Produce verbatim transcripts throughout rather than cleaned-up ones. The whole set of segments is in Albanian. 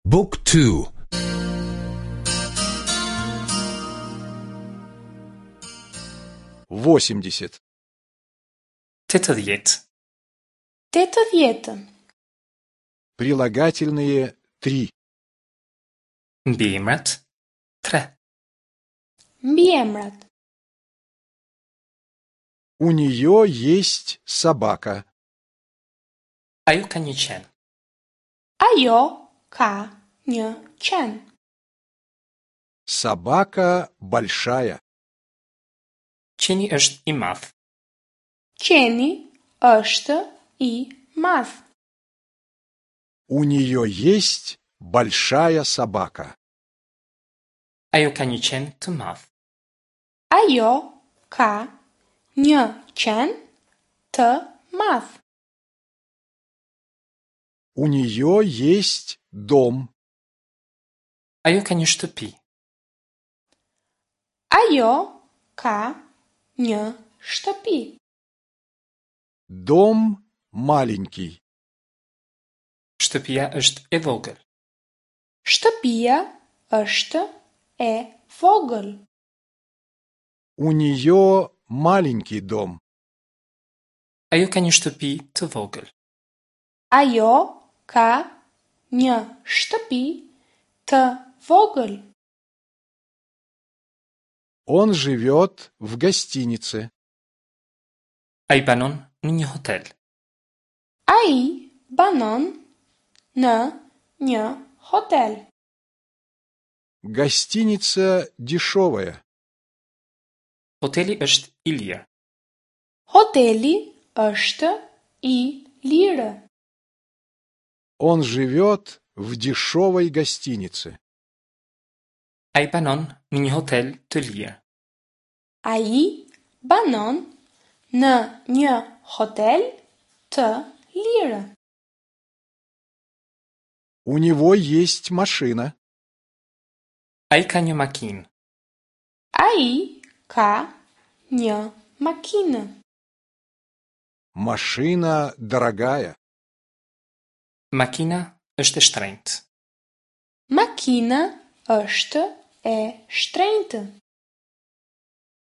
Book two. Восемьдесят. Tetëdhjetë. Tetëdhjetë. Прилагательные три. Mbiemrat tre. Mbiemrat. У нее есть собака. Ajo ka një qen. Ajo ka një qen. Собака большая. Qeni është i madh. Qeni është i madh. У нее есть большая собака. Ajo ka një qen të madh. Ajo ka një qen të madh. У нее есть дом. Ajo ka një shtëpi. Ajo ka një shtëpi. Дом маленький. Shtëpia është e vogël. Shtëpia është e vogël. У нее маленький дом. Ajo ka një shtëpi të vogël. Ajo ka një shtëpi të vogël. Он живет в гостинице. Ai banon në një hotel. Ai banon në një hotel. Гостиница дешевая. Hoteli është i lirë. Hoteli është i lirë. Он живет в дешевой гостинице. Ai banon në një hotel të lirë. Ai banon në një hotel të lirë. У него есть машина. Ai ka një makinë. Ai ka një makinë. Машина дорогая. Makina është e shtrenjtë. Makina është e shtrenjtë.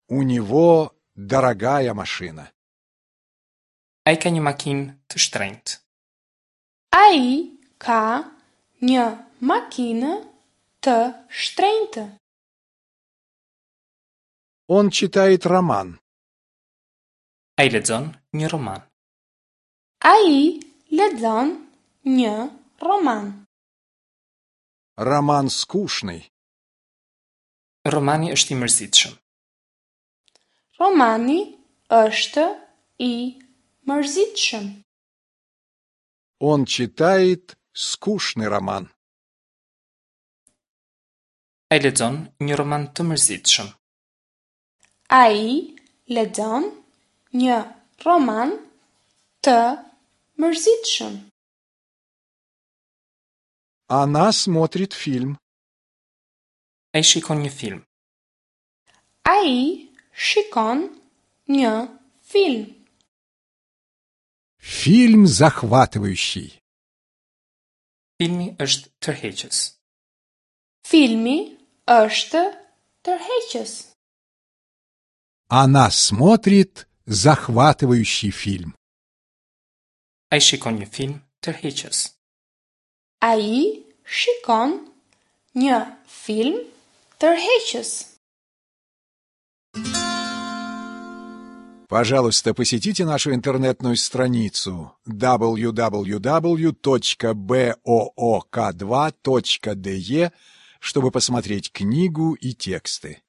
У него дорогая машина. Ai ka një makinë të shtrenjtë. Ai ka një makinë të shtrenjtë. Он читает роман. Ai lexon një roman. Ai lexon një roman. Роман скучный. Romani është i mërzitshëm. Romani është i mërzitshëm. Он читает скучный роман. Ai lexon një roman të mërzitshëm. Ai lexon një roman të mërzitshëm. Она смотрит фильм. Ai shikon një film. Ai shikon një film. Фильм захватывающий. Filmi është tërheqës. Filmi është tërheqës. Она смотрит захватывающий фильм. Ai shikon një film tërheqës. Ai shikon një film tërheqës. Пожалуйста, посетите нашу интернетную страницу дабл ю дабл ю дабл ю точка бэ о о ка два точка дэ е, чтобы посмотреть книгу и тексты.